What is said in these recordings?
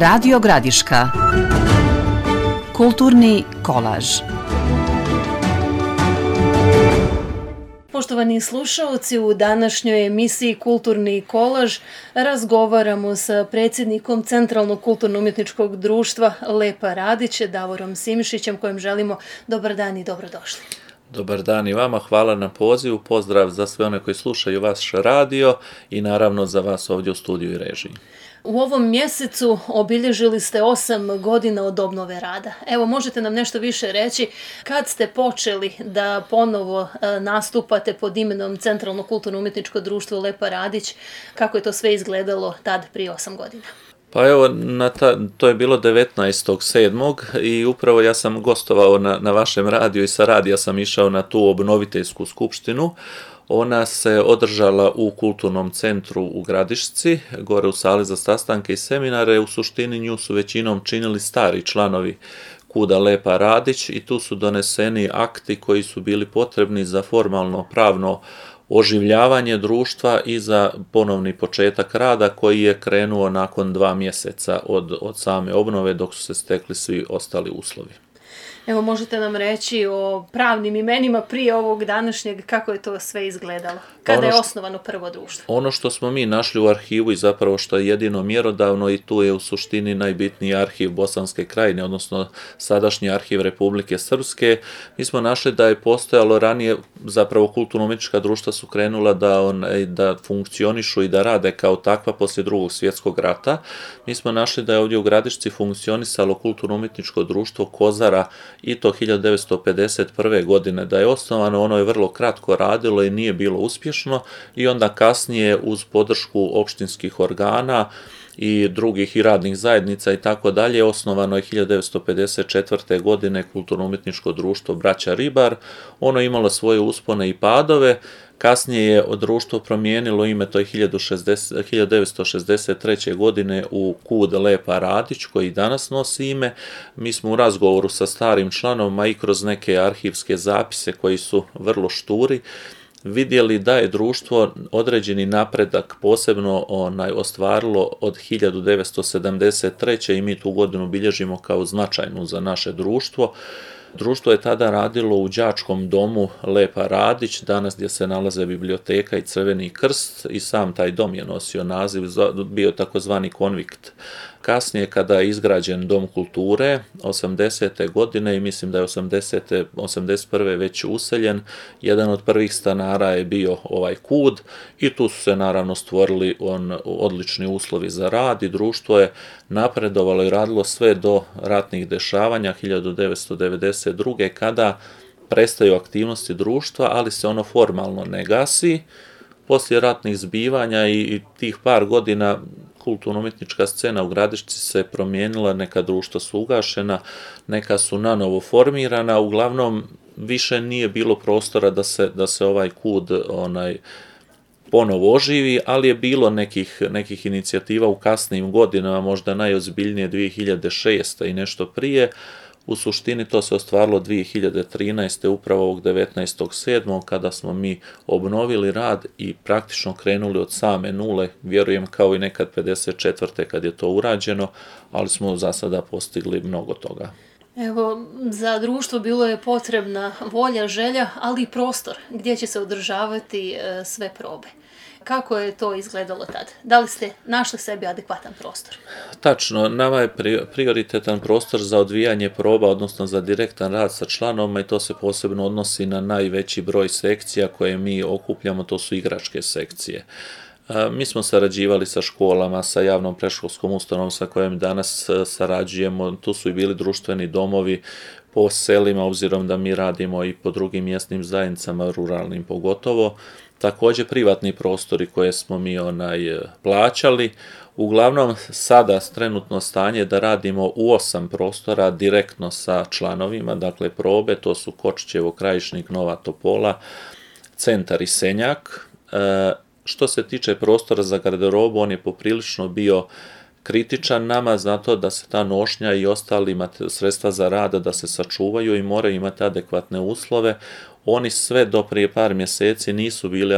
Radio Gradiška. Kulturni kolaž. Poštovani slušalci, u današnjoj emisiji Kulturni kolaž razgovaramo sa predsjednikom Centralnog kulturno-umjetničkog društva Lepa Radić, Davorom Simišićem, kojem želimo dobar dan i dobrodošli. Dobar dan i vama, hvala na pozivu, pozdrav za sve one koji slušaju vaš radio i naravno za vas ovdje u studiju i režiji. U ovom mjesecu obilježili ste 8 godina od obnove rada. Evo, možete nam nešto više reći kad ste počeli da ponovo nastupate pod imenom Centralno kulturno-umjetničko društvo Lepa Radić, kako je to sve izgledalo tad prije 8 godina? Pa evo, to je bilo 19.7. i upravo ja sam gostovao na vašem radiju i sa radija sam išao na tu obnoviteljsku skupštinu. Ona se održala u kulturnom centru u Gradišci, gore u sali za sastanke i seminare. U suštini nju su većinom činili stari članovi KUD-a Lepa Radić i tu su doneseni akti koji su bili potrebni za formalno pravno oživljavanje društva i za ponovni početak rada koji je krenuo nakon 2 mjeseca od same obnove dok su se stekli svi ostali uslovi. Evo, možete nam reći o pravnim imenima prije ovog današnjeg, kako je to sve izgledalo? Kada je osnovano prvo društvo? Ono što smo mi našli u arhivu i zapravo što je jedino mjerodavno i tu je u suštini najbitniji arhiv Bosanske krajine, odnosno sadašnji arhiv Republike Srpske. Mi smo našli da je postojalo ranije, zapravo kulturno-umjetnička društva su krenula da funkcionišu i da rade kao takva poslije Drugog svjetskog rata. Mi smo našli da je ovdje u Gradišci funkcionisalo kulturno-umjetničko društvo Kozara i to 1951. godine da je osnovano. Ono je vrlo kratko radilo i nije bilo uspješno i onda kasnije uz podršku opštinskih organa i drugih i radnih zajednica i tako dalje osnovano je 1954. godine kulturno-umjetničko društvo Braća Ribar. Ono je imalo svoje uspone i padove. Kasnije je društvo promijenilo ime, to je 1963. godine u KUD Lepa Radić, koji danas nosi ime. Mi smo u razgovoru sa starim članovima i kroz neke arhivske zapise koji su vrlo šturi vidjeli da je društvo određeni napredak posebno ostvarilo od 1973. i mi tu godinu bilježimo kao značajnu za naše društvo. Društvo je tada radilo u đačkom domu Lepa Radić, danas gdje se nalaze biblioteka i Crveni krst i sam taj dom je nosio naziv, bio takozvani konvikt. Kasnije kada je izgrađen dom kulture 80. godine i mislim da je 81. već useljen, jedan od prvih stanara je bio ovaj KUD i tu su se naravno stvorili odlični uslovi za rad i društvo je napredovalo i radilo sve do ratnih dešavanja 1992. kada prestaju aktivnosti društva, ali se ono formalno ne gasi. Poslije ratnih zbivanja i tih par godina kulturno-umjetnička scena u Gradišci se promijenila, neka društva su ugašena, neka su nanovo formirana, uglavnom više nije bilo prostora da se ovaj KUD ponovo oživi, ali je bilo nekih inicijativa u kasnijim godinama, možda najozbiljnije 2006. i nešto prije. U suštini to se ostvarilo 2013. upravo ovog 19.7. kada smo mi obnovili rad i praktično krenuli od same nule, vjerujem kao i nekad 54. kad je to urađeno, ali smo za sada postigli mnogo toga. Evo, za društvo bilo je potrebna volja, želja, ali i prostor gdje će se održavati sve probe. Kako je to izgledalo tad? Da li ste našli sebi adekvatan prostor? Tačno, nama je prioritetan prostor za odvijanje proba, odnosno za direktan rad sa članovima i to se posebno odnosi na najveći broj sekcija koje mi okupljamo, to su igračke sekcije. Mi smo sarađivali sa školama, sa javnom predškolskom ustanovom sa kojom danas sarađujemo, tu su i bili društveni domovi po selima, obzirom da mi radimo i po drugim mjesnim zajednicama, ruralnim pogotovo. Također privatni prostori koje smo mi plaćali. Uglavnom sada trenutno stanje da radimo u 8 prostora direktno sa članovima, dakle probe, to su Kočićevo, Krajišnik, Nova Topola, Centar i Senjak. Što se tiče prostora za garderobu, on je poprilično bio kritičan nama zato da se ta nošnja i ostali sredstva za rada da se sačuvaju i moraju imati adekvatne uslove. Oni sve do prije par mjeseci nisu bili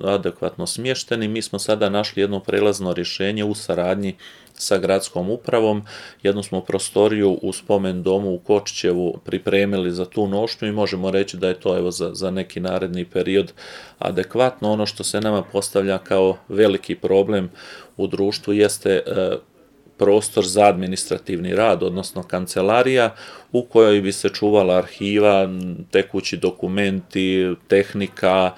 adekvatno smješteni. Mi smo sada našli jedno prelazno rješenje u saradnji sa gradskom upravom. Jednu smo prostoriju u spomen domu u Kočićevu pripremili za tu nošnju i možemo reći da je to evo za neki naredni period adekvatno. Ono što se nama postavlja kao veliki problem u društvu jeste prostor za administrativni rad, odnosno kancelarija u kojoj bi se čuvala arhiva, tekući dokumenti, tehnika,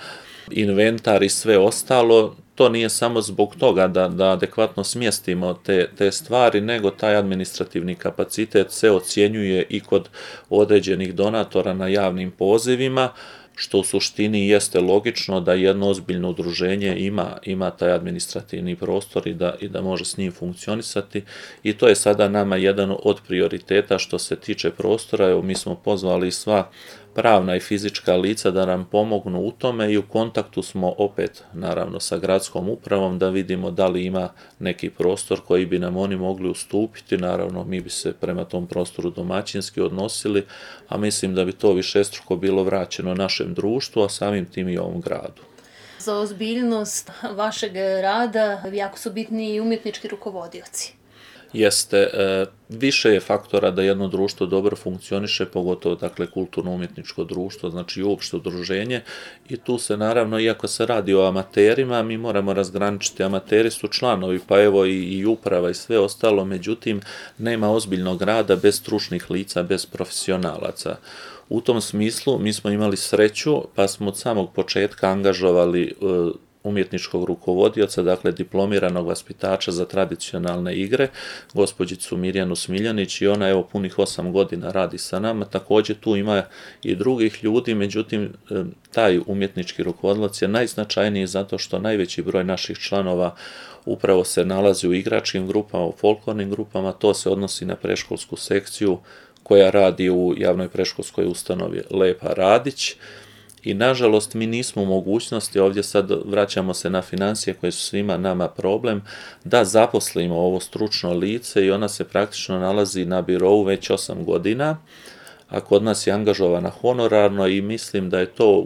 inventar i sve ostalo. To nije samo zbog toga da adekvatno smjestimo te stvari, nego taj administrativni kapacitet se ocjenjuje i kod određenih donatora na javnim pozivima, što u suštini jeste logično da jedno ozbiljno udruženje ima taj administrativni prostor i da može s njim funkcionisati. I to je sada nama jedan od prioriteta što se tiče prostora. Evo, mi smo pozvali sva pravna i fizička lica da nam pomognu u tome i u kontaktu smo opet naravno sa gradskom upravom da vidimo da li ima neki prostor koji bi nam oni mogli ustupiti. Naravno, mi bi se prema tom prostoru domaćinski odnosili, a mislim da bi to višestruko bilo vraćeno našem društvu, a samim tim i ovom gradu. Za ozbiljnost vašeg rada jako su bitni i umjetnički rukovodioci. Jeste, više je faktora da jedno društvo dobro funkcioniše, pogotovo dakle kulturno-umjetničko društvo, znači i uopšte udruženje, i tu se naravno, iako se radi o amaterima, mi moramo razgraničiti, amateri su članovi, pa evo i uprava i sve ostalo, međutim nema ozbiljnog rada bez stručnih lica, bez profesionalaca. U tom smislu mi smo imali sreću, pa smo od samog početka angažovali umjetničkog rukovodioca, dakle diplomiranog vaspitača za tradicionalne igre, gospođicu Mirjanu Smiljanić, i ona evo punih 8 godina radi sa nama. Također tu ima i drugih ljudi, međutim taj umjetnički rukovodilac je najznačajniji zato što najveći broj naših članova upravo se nalazi u igračkim grupama, u folklornim grupama. To se odnosi na predškolsku sekciju koja radi u javnoj predškolskoj ustanovi Lepa Radić. I nažalost mi nismo u mogućnosti, ovdje sad vraćamo se na financije koje su svima nama problem, da zaposlimo ovo stručno lice i ona se praktično nalazi na birou već 8 godina, a kod nas je angažovana honorarno i mislim da je to,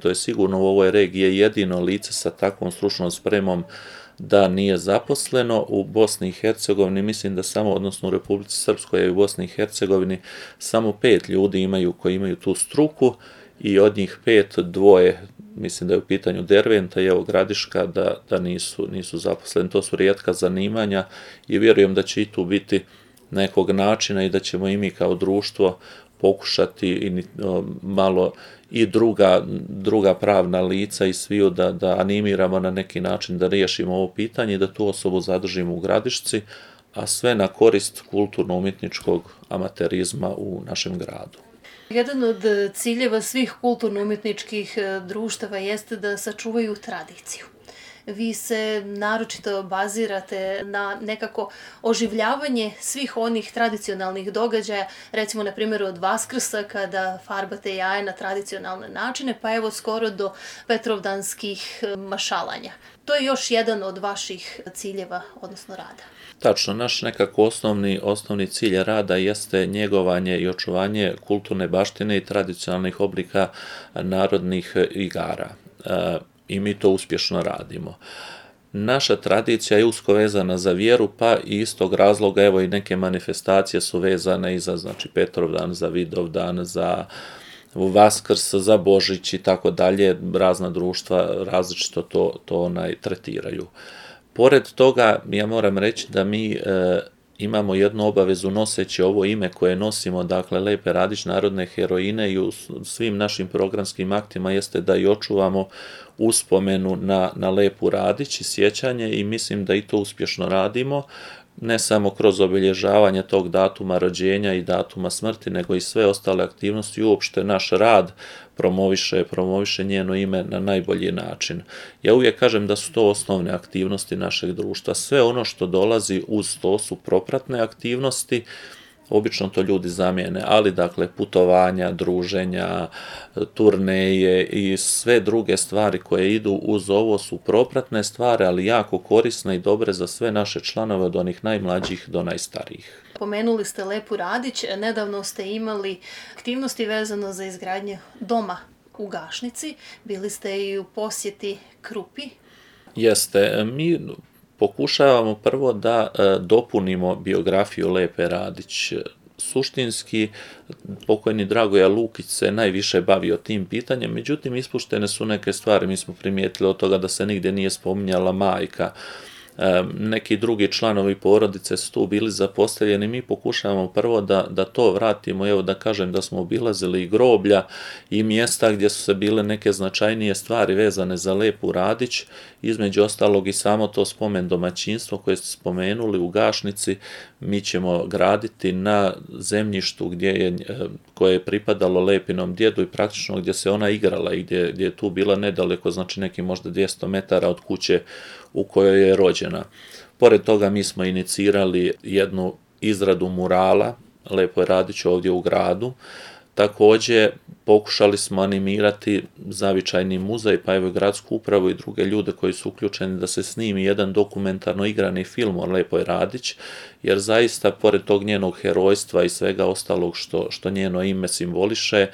to je sigurno u ovoj regiji jedino lice sa takvom stručnom spremom da nije zaposleno. U Bosni i Hercegovini mislim da samo, odnosno u Republici Srpskoj i u Bosni i Hercegovini samo 5 ljudi koji imaju tu struku, i od njih 5, 2, mislim da je u pitanju Derventa i evo Gradiška, da nisu zaposleni. To su rijetka zanimanja i vjerujem da će i tu biti nekog načina i da ćemo i mi kao društvo pokušati malo i druga pravna lica i sviju da animiramo na neki način da riješimo ovo pitanje i da tu osobu zadržimo u Gradišci, a sve na korist kulturno-umjetničkog amaterizma u našem gradu. Jedan od ciljeva svih kulturno-umjetničkih društava jeste da sačuvaju tradiciju. Vi se naročito bazirate na nekako oživljavanje svih onih tradicionalnih događaja, recimo na primjeru od Vaskrsa kada farbate jaje na tradicionalne načine, pa evo skoro do Petrovdanskih mašalanja. To je još jedan od vaših ciljeva, odnosno rada. Tačno, naš nekako osnovni cilj rada jeste njegovanje i očuvanje kulturne baštine i tradicionalnih oblika narodnih igara. I mi to uspješno radimo. Naša tradicija je usko vezana za vjeru, pa i iz tog razloga evo i neke manifestacije su vezane i za Petrovdan, za Vidovdan, za Vaskrs, za Božić i tako dalje. Razna društva različito to tretiraju. Pored toga, ja moram reći da mi imamo jednu obavezu noseći ovo ime koje nosimo, dakle Lepe Radić, narodne heroine, i u svim našim programskim aktima jeste da i očuvamo uspomenu na Lepu Radić i sjećanje, i mislim da i to uspješno radimo, ne samo kroz obilježavanje tog datuma rođenja i datuma smrti, nego i sve ostale aktivnosti i uopšte naš rad promoviše njeno ime na najbolji način. Ja uvijek kažem da su to osnovne aktivnosti našeg društva. Sve ono što dolazi uz to su propratne aktivnosti, obično to ljudi zamijene, ali dakle putovanja, druženja, turneje i sve druge stvari koje idu uz ovo su propratne stvari, ali jako korisne i dobre za sve naše članove od onih najmlađih do najstarijih. Pomenuli ste Lepu Radić, nedavno ste imali aktivnosti vezano za izgradnju doma u Gašnici, bili ste i u posjeti Krupi. Jeste, mi pokušavamo prvo da dopunimo biografiju Lepe Radić. Suštinski, pokojni Dragoja Lukić se najviše bavio tim pitanjem, međutim ispuštene su neke stvari, mi smo primijetili od toga da se nigdje nije spominjala majka, neki drugi članovi porodice su tu bili zapostavljeni, mi pokušavamo prvo da to vratimo, evo da kažem da smo obilazili i groblja i mjesta gdje su se bile neke značajnije stvari vezane za Lepu Radić, između ostalog i samo to spomen domaćinstvo koje ste spomenuli u Gašnici, mi ćemo graditi na zemljištu koje je pripadalo Lepinom djedu i praktično gdje se ona igrala i gdje je tu bila nedaleko, znači neki možda 200 metara od kuće u kojoj je rođena. Pored toga mi smo inicirali jednu izradu murala Lepoj Radić ovdje u gradu. Također pokušali smo animirati zavičajni muzej, pa evo i gradsku upravu i druge ljude koji su uključeni da se snimi jedan dokumentarno igrani film o Lepoj Radić, jer zaista pored tog njenog herojstva i svega ostalog što njeno ime simboliše,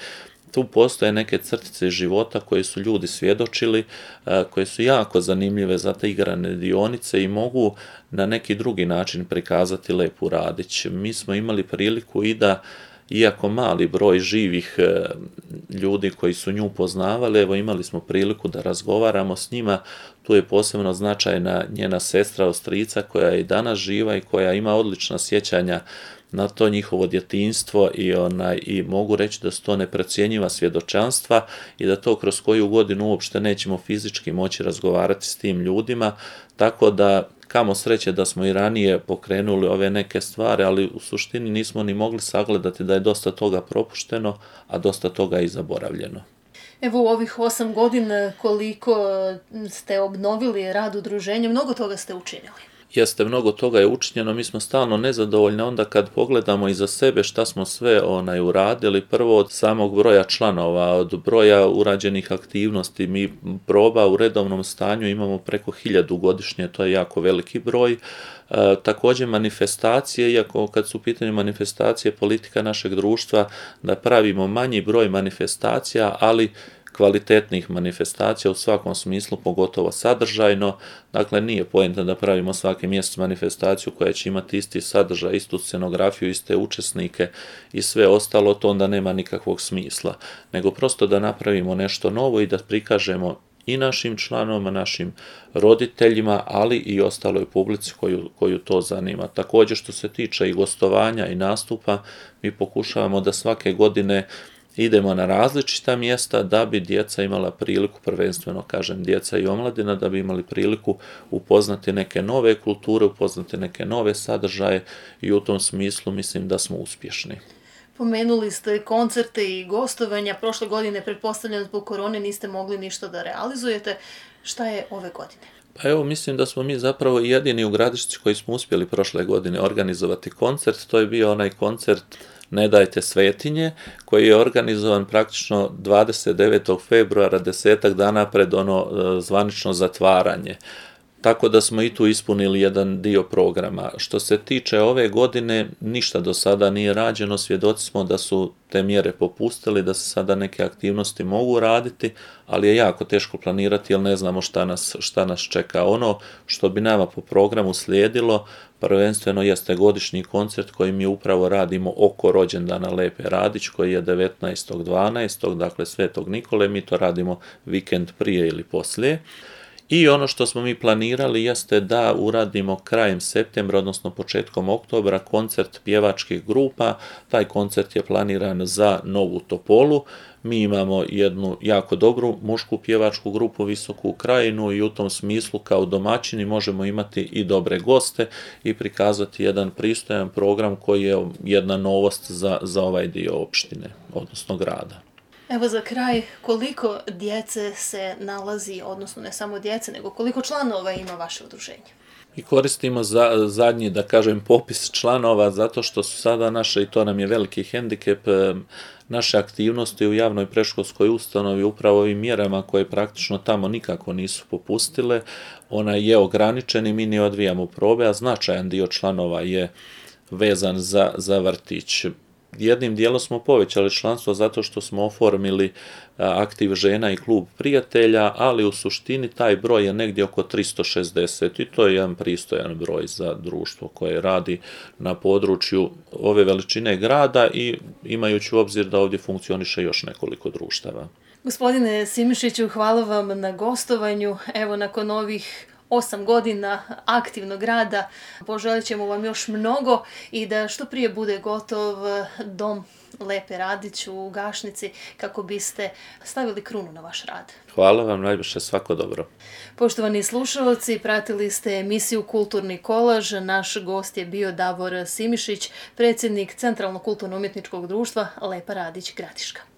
tu postoje neke crtice života koje su ljudi svjedočili, koje su jako zanimljive za te igrane dionice i mogu na neki drugi način prikazati Lepu Radić. Mi smo imali priliku i da, iako mali broj živih ljudi koji su nju poznavali, evo imali smo priliku da razgovaramo s njima. Tu je posebno značajna njena sestra od strica koja je i danas živa i koja ima odlična sjećanja na to njihovo djetinjstvo i mogu reći da su to neprocjenjiva svjedočanstva i da to kroz koju godinu uopšte nećemo fizički moći razgovarati s tim ljudima, tako da kamo sreće da smo i ranije pokrenuli ove neke stvari, ali u suštini nismo ni mogli sagledati da je dosta toga propušteno, a dosta toga i zaboravljeno. Evo u ovih 8 godina koliko ste obnovili rad udruženja, mnogo toga ste učinili. Jeste, mnogo toga je učinjeno, mi smo stalno nezadovoljni onda kad pogledamo iza sebe šta smo sve uradili, prvo od samog broja članova, od broja urađenih aktivnosti, mi proba u redovnom stanju imamo preko 1000 godišnje, to je jako veliki broj. Također manifestacije, iako kad su u pitanju manifestacije politika našeg društva, da pravimo manji broj manifestacija, ali kvalitetnih manifestacija u svakom smislu, pogotovo sadržajno. Dakle, nije poenta da pravimo svaki mjesec manifestaciju koja će imati isti sadržaj, istu scenografiju, iste učesnike i sve ostalo, to onda nema nikakvog smisla. Nego prosto da napravimo nešto novo i da prikažemo i našim članovima, našim roditeljima, ali i ostaloj publici koju to zanima. Također što se tiče i gostovanja i nastupa, mi pokušavamo da svake godine idemo na različita mjesta da bi djeca imala priliku, prvenstveno kažem djeca i omladina, da bi imali priliku upoznati neke nove kulture, upoznati neke nove sadržaje i u tom smislu mislim da smo uspješni. Pomenuli ste koncerte i gostovanja. Prošle godine, pretpostavljam zbog korone, niste mogli ništa da realizujete. Šta je ove godine? Pa evo, mislim da smo mi zapravo jedini u Gradišci koji smo uspjeli prošle godine organizovati koncert. To je bio onaj koncert Ne dajte svetinje, koji je organizovan praktično 29. februara, 10 dana pred zvanično zatvaranje. Tako da smo i tu ispunili jedan dio programa. Što se tiče ove godine, ništa do sada nije rađeno, svjedoci smo da su te mjere popustili, da se sada neke aktivnosti mogu raditi, ali je jako teško planirati jer ne znamo šta nas čeka. Ono što bi nama po programu slijedilo, prvenstveno jeste godišnji koncert koji mi upravo radimo oko rođendana Lepe Radić, koji je 19.12., dakle Svetog Nikole, mi to radimo vikend prije ili poslije. I ono što smo mi planirali jeste da uradimo krajem septembra, odnosno početkom oktobra, koncert pjevačkih grupa. Taj koncert je planiran za Novu Topolu. Mi imamo jednu jako dobru mušku pjevačku grupu Visoku Krajinu i u tom smislu kao domaćini možemo imati i dobre goste i prikazati jedan pristojan program koji je jedna novost za ovaj dio opštine, odnosno grada. Evo za kraj, koliko djece se nalazi, odnosno ne samo djece, nego koliko članova ima vaše udruženje? I koristimo zadnji, da kažem, popis članova zato što su sada naše, i to nam je veliki hendikep, naše aktivnosti u javnoj predškolskoj ustanovi upravo ovim mjerama koje praktično tamo nikako nisu popustile. Ona je ograničen i mi ne odvijamo probe, a značajan dio članova je vezan za vrtić. Jednim dijelom smo povećali članstvo zato što smo oformili aktiv žena i klub prijatelja, ali u suštini taj broj je negdje oko 360 i to je jedan pristojan broj za društvo koje radi na području ove veličine grada i imajući u obzir da ovdje funkcioniše još nekoliko društava. Gospodine Simišiću, hvala vam na gostovanju. Evo, nakon ovih 8 godina aktivnog rada poželit ćemo vam još mnogo i da što prije bude gotov dom Lepe Radić u Gašnici kako biste stavili krunu na vaš rad. Hvala vam, najviše, svako dobro. Poštovani slušalci, pratili ste emisiju Kulturni kolaž. Naš gost je bio Davor Simišić, predsjednik Centralnog kulturno-umjetničkog društva Lepa Radić Gradiška.